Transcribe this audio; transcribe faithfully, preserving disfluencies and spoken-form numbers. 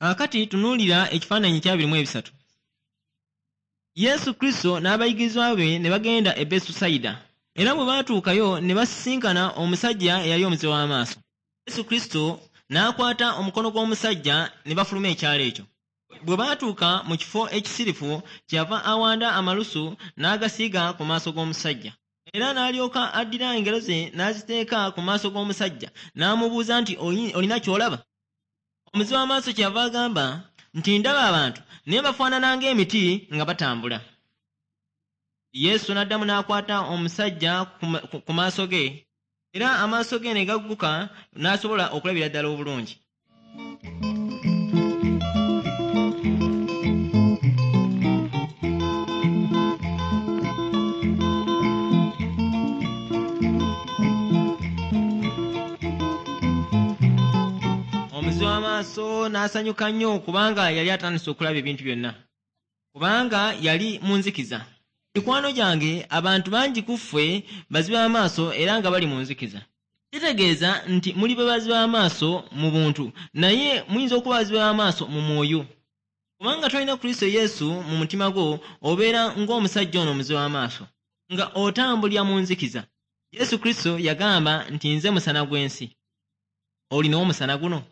Kaakati tunuulira ekifaananyi ekyabiri mu ebisatu. Yesu Kristo n'abayigirizwa be ne bagenda e Besusayida. Era bwe baatuukayo ne basisinkana omusajja eyali omuzibe w'amaaso. Yesu Kristo n'akwata omukono gw'omusajja ne bafuluma ekyalo ekyo. Bwe baatuuka mu kifo ekisirifu, kyeyava awanda amalusu n'agasiiga ku maaso g'omusajja. Era n'alyoka addira engalo ze n'aziteeka ku maaso g'omusajja, n'amubuuza nti, "Olina ky'olaba?" Omuzibe w'amaaso kyeyava agamba nti, "Ndaba abantu, naye bafaanana ng'emiti nga batambula." Yesu n'addamu n'akwata omusajja ku maaso ge, era amaaso ge ne gagguka n'asobola okulabira ddala obulungi. Omuzibe w'amaaso n'asanyuka nnyo kubanga yali atandise okulaba ebintu byonna, kubanga yali mu nzikiza. Mikwano gyange, abantu bangi ku ffe bazibe amaaso era nga bali mu nzikiza. Kitegeeza nti muli bazibe amaaso mu buntu, naye muyinza okuba bazibe amaaso mu mwoyo. Kubanga tolina Kristo Yesu mu mutima gwo, obeera ng'omusajja ono omuzibe w'amaaso, nga otambulira mu nzikiza. Yesu Kristo yagamba nti, "Nze musana gw'ensi." Olina omusana guno?